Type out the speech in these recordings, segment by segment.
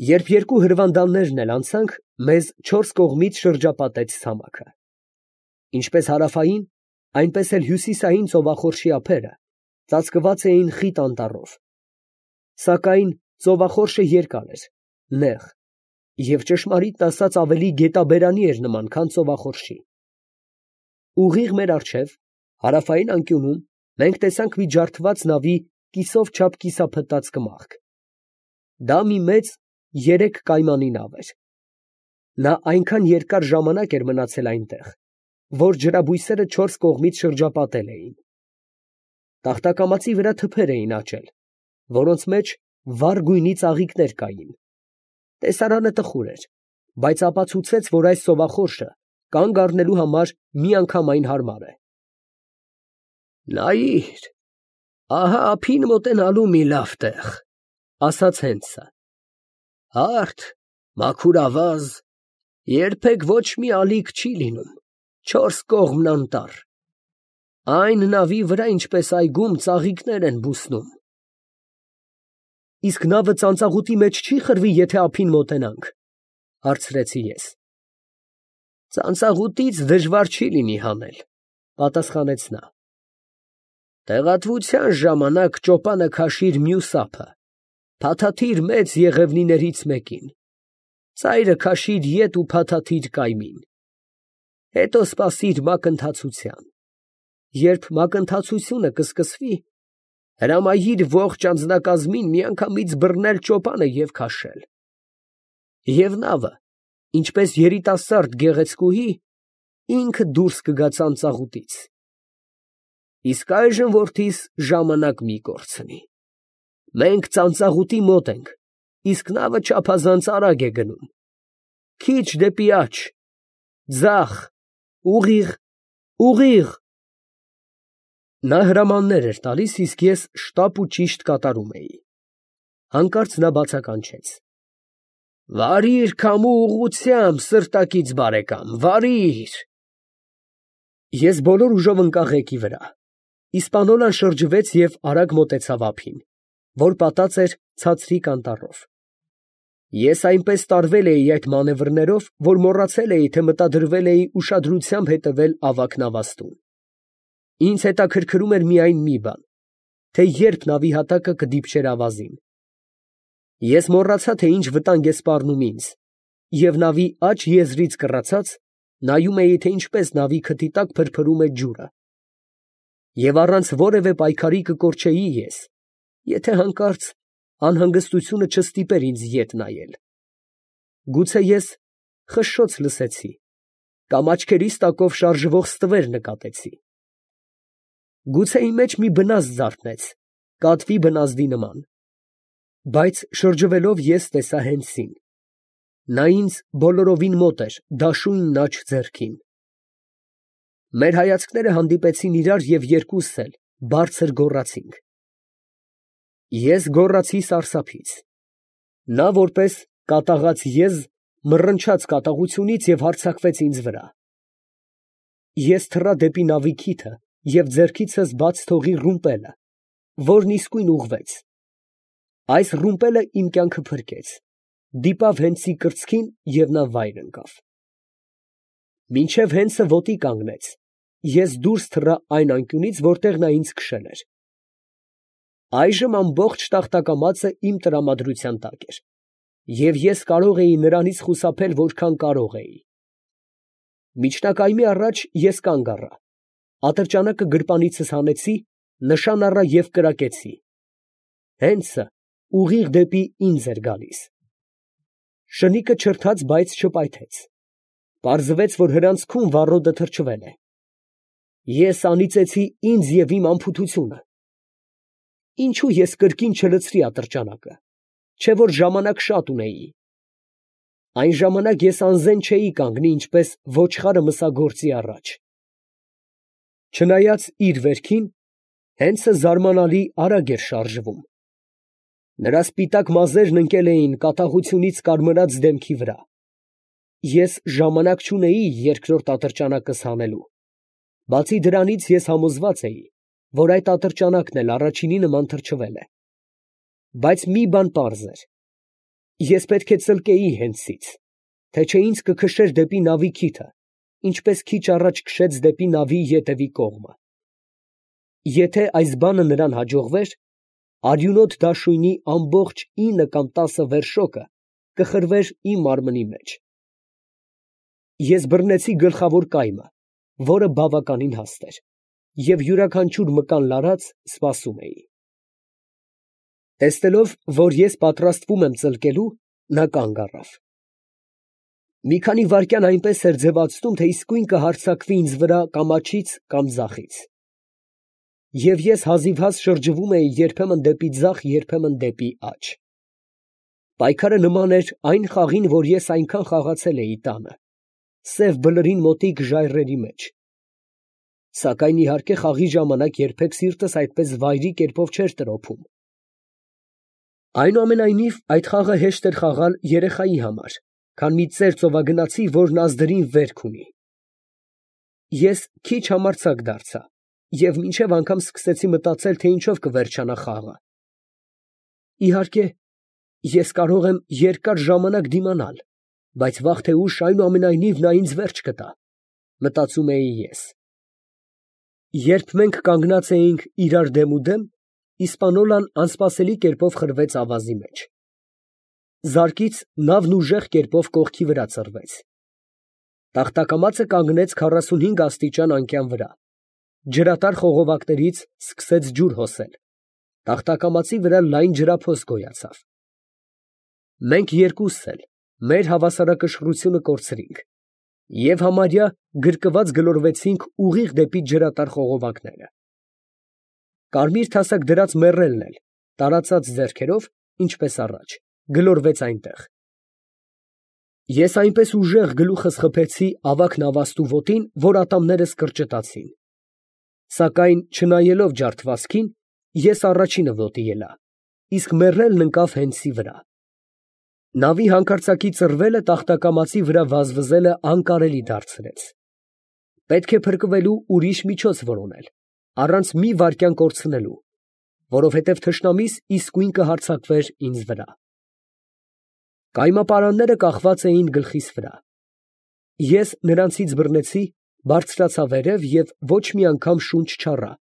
Երբ երկու հրվանդաններն էլ անցանք, մեզ չորս կողմից շրջապատեց ցամաքը. ինչպես հարավային, այնպես էլ հյուսիսային ծովախորշի ափերը ծածկված էին խիտ անտառով, սակայն ծովախորշը երկար էր, նեղ և ճշմարիտն ասած ավելի գետաբերանի էր նման, քան ծովախորշի։ Ուղիղ մեր առջև, հարավային անկյունում, մենք տեսանք մի ջարդված նավի կիսով չափ կիսափտած կմախք. դա մի մեծ 3 կայմանի նավ էր։ Նա այնքան երկար ժամանակ էր մնացել այնտեղ, որ ջրաբույսերը 4 կողմից շրջապատել էին։ Տախտակամածի վրա թփեր էին աճել, որոնց մեջ վառ գույնի ծաղիկներ կային։ Տեսարանը տխուր էր, բայց ապացուցեց, որ այս ծովախորշը կանգ առնելու համար միանգամայն հարմար է։ Նայիր, ահա ափին մոտենալու մի լավ տեղ, ֊ ասաց Հենդսը։ Հարթ, մաքուր ավազ, երբեք ոչ մի ալիք չի լինում, 4 կողմն անտառ, այն նավի վրա, ինչպես այգում, ծաղիկներ են բուսնում։ Իսկ նավը ծանծաղուտի մեջ չի խրվի, եթե ափին մոտենանք, ֊ հարցրեցի ես։ Ծանծաղուտից դժվար չի լինի հանել, ֊ պատասխանեց նա։ Տեղատվության ժամանակ ճոպանը քաշիր մյուս ափը, փաթաթիր մեծ եղևնիներից մեկին, ծայրը քաշիր ետ ու փաթաթիր կայմին, հետո սպասիր մակընթացության։ Երբ մակընթացությունը կսկսվի, հրամայիր ողջ անձնակազմին միանգամից բռնել ճոպանը և քաշել։ Եվ նավը, ինչպես երիտասարդ գեղեցկուհի, ինքը դուրս կգա ծանծաղուտից։ Իսկ այժմ, որդիս, ժամանակ մի կորցնի։ Մենք ծանծաղուտի մոտ ենք, իսկ նավը չափազանց արագ է գնում։ Քիչ դեպի աջ, ձախ, ուղիղ, ուղիղ։ Նա հրամաններ էր տալիս, իսկ ես շտապ ու ճիշտ կատարում էի։ Հանկարծ նա բացականչեց. Վարիր քամու ուղղությամբ, սրտակից բարեկամ, վարիր։ Ես բոլոր ուժով ընկա ղեկի վրա։ Իսպանոլան շրջվեց և արագ մոտեցավ ափին, որ պատած էր ցածրիկ անտառով։ Ես այնպես տարվել էի այդ մանևրներով, որ մոռացել էի, թե մտադրվել էի ուշադրությամբ հետևել ավագ նավաստուն։ Ինձ հետաքրքրում էր միայն մի բան, թե երբ նավի հատակը կդիպչեր ավազին։ Ես մոռացա, թե ինչ վտանգ է սպառնում ինձ, և նավի աջ եզրից կռացած, նայում էի, թե ինչպես նավի քթի տակ փրփրում է ջուրը։ Եվ առանց որևէ պայքարի կկորչեի ես, եթե հանկարծ անհանգստությունը չստիպեր ինձ ետ նայել։ Գուցե ես խշշոց լսեցի, կամ աչքերիս տակով շարժվող ստվեր նկատեցի։ Գուցե իմ մեջ մի բնազդ զարթնեց, կատվի բնազդի նման, բայց շրջվելով ես տեսա Հենդսին։ Նա ինձ բոլորովին մոտ էր, դաշույնն աջ ձեռքին։ Մեր հայացքները հանդիպեցին իրար և երկուսս էլ բարձր գոռացինք։ Ես գոռացի սարսափից։ Նա, որպես կատաղած եզ, մռնչաց կատաղությունից և հարձակվեց ինձ վրա։ Ես թռա դեպի նավի քիթը և ձեռքիցս բաց թողի ռումպելը, որն իսկույն ուղղվեց։ Այս ռումպելը իմ կյանքը փրկեց, դիպավ Հենդսի կրծքին և նա վայր ընկավ։ Մինչև Հենդսը ոտի կանգնեց, ես դուրս թռա այն անկյունից, որտեղ նա ինձ քշել էր։ Այժմ ամբողջ տախտակամածը իմ տրամադրության տակ էր, և ես կարող էի նրանից խուսափել որքան կարող էի։ Միջնակայմի առաջ ես կանգ առա, ատրճանակը գրպանիցս հանեցի, նշան առա և կրակեցի։ Հենդսը ուղիղ դեպի ինձ էր գալիս։ Շնիկը չրթաց, բայց չպայթեց։ Պարզվեց, որ հրանցքում վառոդը թրջվել է։ Ես անիծեցի ինձ և իմ անփութությունը։ Ինչո՞ւ ես կրկին չլցրի ատրճանակը, չէ՞ որ ժամանակ շատ ունեի։ Այն ժամանակ ես անզեն չէի կանգնի, ինչպես ոչխարը մսագործի առաջ։ Չնայած իր վերքին, Հենդսը զարմանալի արագ էր շարժվում։ Նրա սպիտակ մազերն ընկել էին կատաղությունից կարմրած դեմքի վրա։ Ես ժամանակ չունեի երկրորդ ատրճանակս հանելու։ Բացի դրանից ես համոզված էի, որ այդ ատրճանակն էլ առաջինի նման թրջվել է։ Բայց մի բան պարզ էր. Ես պետք է ծլկեի հենցից, թե չէ ինձ կքշեր դեպի նավի քիթը, ինչպես քիչ առաջ քշեց դեպի նավի ետևի կողմը։ Եթե այս բանը նրան հաջողվեր, արյունոտ դաշույնի ամբողջ 9 կամ 10 վերշոկը կխրվեր իմ մարմնի մեջ։ Ես բռնեցի գլխավոր կայմը, որը բավականին հաստ էր, և յուրաքանչյուր մկան լարած սպասում էի։ Տեսնելով, որ ես պատրաստվում եմ ծլկելու, նա կանգ առավ։ Մի քանի վայրկյան այնպես էր ձևացնում, թե իսկույն կհարձակվի ինձ վրա կամ աջից, կամ ձախից։ Եվ ես հազիվհազ շրջվում էի երբեմն դեպի ձախ, երբեմն դեպի աջ։ Պայքարը նման էր այն խաղին, որ ես այնքան խաղացել էի տանը, սև բլրին մոտիկ ժայռերի մեջ։ Սակայն իհարկե խաղի ժամանակ երբեք սիրտս այդպես վայրի կերպով չէր տրոփում։ Այնուամենայնիվ, այդ խաղը հեշտ էր խաղալ երեխայի համար, քան մի ծեր ծովագնացի, որն ազդրին վերք ունի։ Ես քիչ համարձակ դարձա և մինչև անգամ սկսեցի մտածել, թե ինչով կվերջանա խաղը։ Իհարկե, ես կարող եմ երկար ժամանակ դիմանալ, բայց վաղ թե ուշ այնուամենայնիվ նա ինձ վերջ կտա, մտածում էի ես։ Երբ մենք կանգնած էինք իրար դեմուդեմ, Իսպանոլան անսպասելի կերպով խրվեց ավազի մեջ։ Զարկից նավն ուժեղ կերպով կողքի վրա ծռվեց։ Տախտակամածը կանգնեց 45 աստիճան անկյան վրա։ Ջրատար խողովակներից սկսեց ջուր հոսել։ Տախտակամածի վրա լայն ջրափոս գոյացավ։ Մենք երկուսս էլ մեր հավասարակշռությունը կորցրինք և համարյա գրկված գլորվեցինք ուղիղ դեպի ջրատար խողովակները։ Կարմիր թասակ դրած մեռելն էլ, տարածած ձեռքերով, ինչպես առաջ, գլորվեց այնտեղ։ Ես այնպես ուժեղ գլուխս խփեցի ավագ նավաստու ոտին, որ ատամներս կրճտացին։ Սակայն, չնայելով ջարդվածքին, ես առաջինը ոտի ելա, իսկ մեռելն ընկավ հենցի վրա։ Նավի հանկարծակի ծռվելը տախտակամածի վրա վազվզելը անկարելի դարձրեց։ Պետք է փրկվելու ուրիշ միջոց որոնել, առանց մի վայրկյան կորցնելու, որովհետև թշնամիս իսկույն կհարձակվեր ինձ վրա։ Կայմապարանները կախված էին գլխիս վրա։ Ես նրանցից բռնեցի, բարձրացա վերև և ոչ մի անգամ շունչ չառա,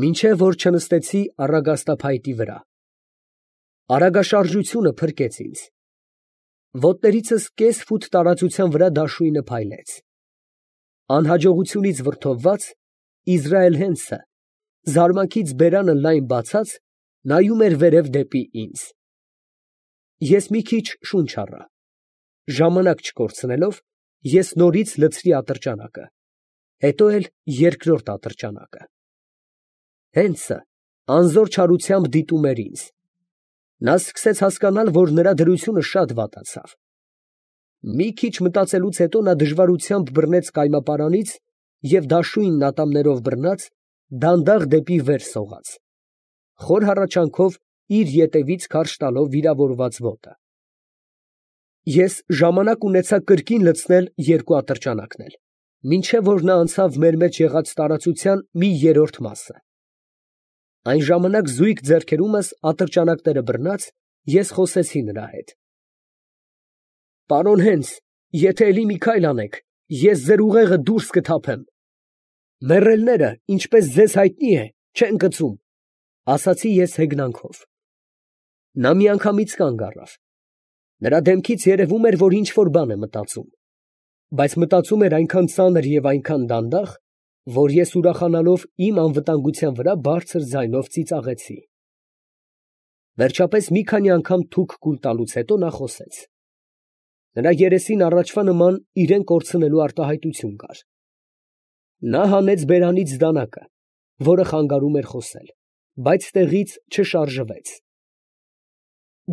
մինչև որ չնստեցի առագաստափայտի վրա։ Արագաշարժությունը փրկեց ինձ։ Ոտներիցս կես ֆուտ տարածության վրա դաշույնը փայլեց։ Անհաջողությունից վրդովված, Իզրայել Հենսը, զարմանքից բերանը լայն բացած, նայում էր վերև դեպի ինձ։ Ես մի քիչ շունչ առա։ Ժամանակ չկորցնելով, ես նորից լցրի ատրճանակը, հետո էլ երկրորդ ատրճանակը։ Հենսը անզոր չարությամբ դիտում էր ինձ։ Նա սկսեց հասկանալ, որ նրա դրությունը շատ վատացավ։ Մի քիչ մտածելուց հետո նա դժվարությամբ բռնեց կայմապարանից և դաշույնն ատամներով բռնած, դանդաղ դեպի վեր սողաց, խոր հառաչանքով իր ետևից քարշ տալով վիրավորված ոտը։ Ես ժամանակ ունեցա կրկին լցնել երկու ատրճանակն էլ, մինչև որ նա անցավ մեր մեջ եղած տարածության մի երրորդ մասը։ Այն ժամանակ զույգ ձեռքերումս ատրճանակները բռնած, ես խոսեցի նրա հետ։ Պարոն Հենս, եթե էլի մի քայլ անեք, ես ձեր ուղեղը դուրս կթափեմ։ Մեռելները, ինչպես ձեզ հայտնի է, չեն կծում, ասացի ես հեգնանքով։ Նա միանգամից կանգ առավ։ Նրա դեմքից երևում էր, որ ինչ֊որ բան է մտածում, բայց մտածում էր այնքան ծանր և այնքան դանդաղ, որ ես ուրախանալով իմ անվտանգության վրա բարձր ձայնով ծիծաղեցի։ Վերջապես մի քանի անգամ թուք կուլ տալուց հետո նա խոսեց։ Նրա երեսին առաջվա նման իրեն կորցնելու արտահայտություն կար։ Նա հանեց բերանից դանակը, որը խանգարում էր խոսել, բայց տեղից չշարժվեց։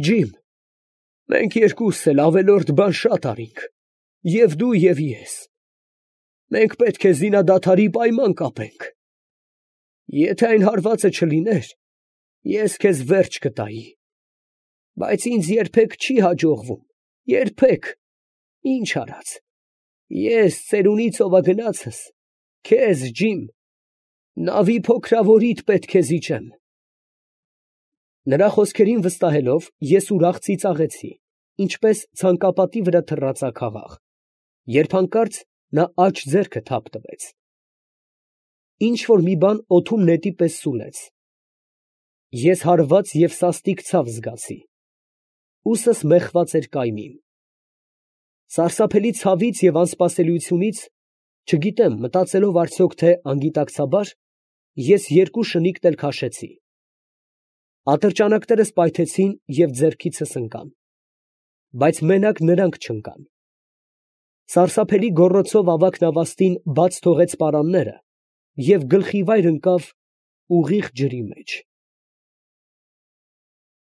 Ջիմ, մենք երկուսս էլ ավելորդ բան շատ արինք, և դու, և ես։ Մենք պետք է զինադադարի պայման կապենք։ Եթե այն հարվածը չլիներ, ես քեզ վերջ կտայի, բայց ինձ երբեք չի հաջողվում, երբեք, ինչ արած, ես ծերունի ծովագնացս, քեզ, Ջիմ, նավի փոքրավորիդ պետք է զիջեմ։ Նրա խոսքերին վստահելով, ես ուրախ ծիծաղեցի, ինչպես ցանկապատի վրա թռածա երբ հանկարծ նա աջ ձեռքը թափ տվեց։ Ինչ որ մի բան օդում նետի պես սուլեց։ Ես հարված և սաստիկ ցավ զգացի։ Ուսս մեխված էր կայմին։ Սարսափելի ցավից և անսպասելիությունից, չգիտեմ մտածելով արդյոք թե անգիտակցաբար, ես երկու շնիկտ էլ քաշեցի։ Ատրճանակներս պայթեցին և ձեռքիցս ընկան, բայց մենակ նրանք չընկան։ Սարսափելի գոռոցով ավագ նավաստին բաց թողեց պարանները և գլխիվայր ընկավ ուղիղ ջրի մեջ։